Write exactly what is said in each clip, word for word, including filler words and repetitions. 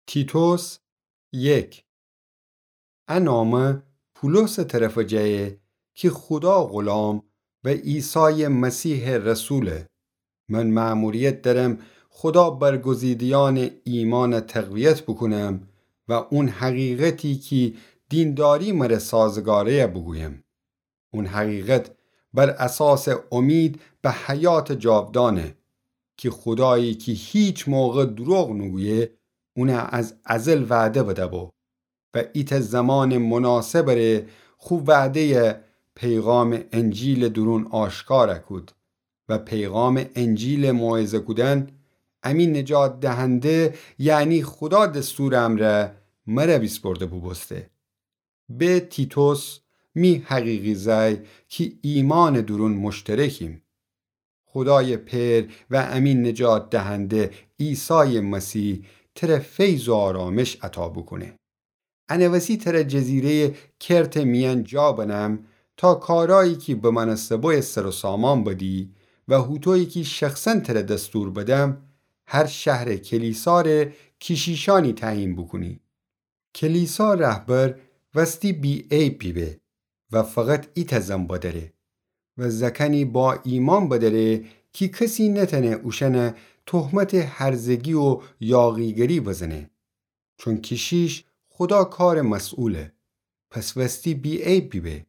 تیتوس یک. ا نامه پولوسٚ طرفٚ جه کی خودا غلام و عیسایٚ مسیحٚ رسوله. من مأموریت درم خودا برگزیده‌یأنٚ ایمأن تقویت بوکونم و اون حقیقتی کی دینداری مره سازگاره‌یه بوگویم. اون حقیقت بر اساسٚ امید به حیاتٚ جاودانه کی خودایی کی هیچ موقع دروغ نوگویه، اونه از ازل وعده بده‌بو و ایتأ زمانٚ مناسبٚ ره خو وعده‌یه پیغامٚ انجیلٚ دورون آشکار کود و پیغامٚ انجیلٚ موعظه کودن امی نجات دهنده، یعنی خودا دستورٚ امرأ مره ویسپرده بوبوسته. به تیتوس، می حقیقی زأی کی ایمأنٚ دورون مشترکیم. خودایٚ پئر و امی نجات دهنده عیسایٚ مسیح تره فیض و آرامش عطا بوکونه. انه وسی تره جزیره‌یٚ کرتٚ میأن جا بنم تا کارایی کی بمأنسته بویه سر و سامان بدی و هوطویی کی شخصاً تره دستور بدم، هر شهرٚ کلیسا ره کشیشأنی تعیین بوکونی. کلیسا رهبر وستی بی‌عیب بیبه و فقط ایتأ زن بدأره و زأکأنی با ایمأن بدأره کی کسی نتأنه اوشأنه تهمتٚ هرزگی و یاغیگری بزنه. چون کشیش خودا کارٚ مسئوله، پس وستی بی‌عیب بیبه.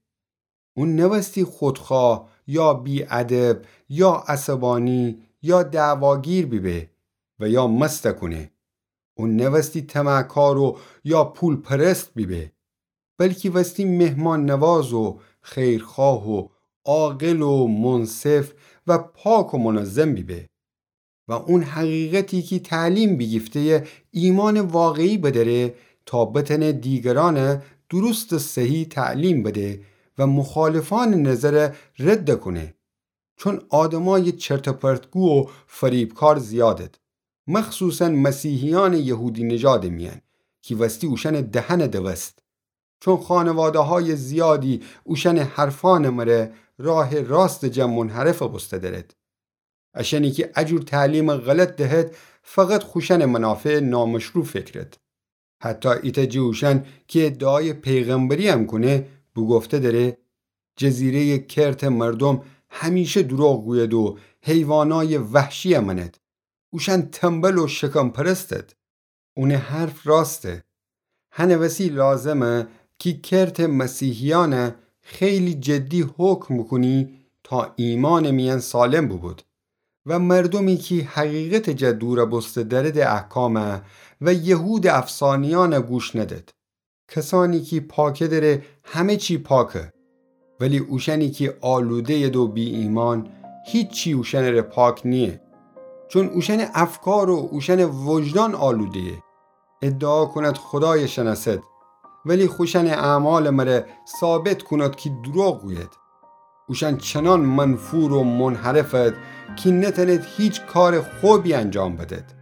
اون نوستی خودخواه یا بی‌ادب یا عصبانی یا دعواگیر بیبه و یا مست کونه. اون نوستی طمعکار و یا پول‌پرست بیبه، بلکی وستی مهمان‌نواز و خیرخواه و عاقل و منصف و پاک و منظم بیبه. و اون حقیقتی کی تعلیم بیگیفته‌یه ایمأنٚ واقعی بدأره تا بتأنه دیگرأنه درستٚ صحیح تعلیم بده و مخالفأنٚ نظره رد کونه. چون آدمأیٚ چرت‌وپرت‌گو و فریبکار زیادد، مخصوصاً مسیحیأنٚ یهودی‌نژادٚ میأن کی وستی اوشأنٚ دهنه دوست. چون خانواده‌هایٚ زیادی اوشأنٚ حرفأنٚ مره راهٚ راستٚ جا منحرف بوسته دأرد. اشأنی کی ا جور تعلیمٚ غلط دهد، فقط خوشأنٚ منافعٚ نامشروع فکرد. حتی ایتأ جٚه اوشأن کی ادعایٚ پیغمبری‌یم کونه، بوگفته دأره: جزیره‌یٚ کرتٚ مردوم همیشه دروغ گوید و حیوانایٚ وحشی‌یه مأند. اوشأن تنبل و شکم‌پرستد. اونٚ حرف راسته. هنٚ وسی لازمه کی کرتٚ مسیحیأنه خیلی جدی حکم بوکونی تا ایمأنٚ میأن سالم بوبود و مردومی کی حقیقتٚ جا دور بوسته دأرد احکامه و یهودٚ افسانه‌یأنه گوش ندد. کسأنی کی پاکه دره همه چی پاکه، ولی اوشأنی کی آلوده‌ید و بی‌ایمأن، هیچی اوشأنٚ ره پاک نییه. چون اوشأنٚ افکار و اوشأنٚ وجدان آلوده‌یه. ادعا کوناد خودایٚ شنأسد، ولی خوشأنٚ اعمالٚ مره ثابت کوناد کی دروغ گوید. اوشأن چنأن منفور و منحرفد کی نتأنید هیچ کارٚ خوبی انجام بدید.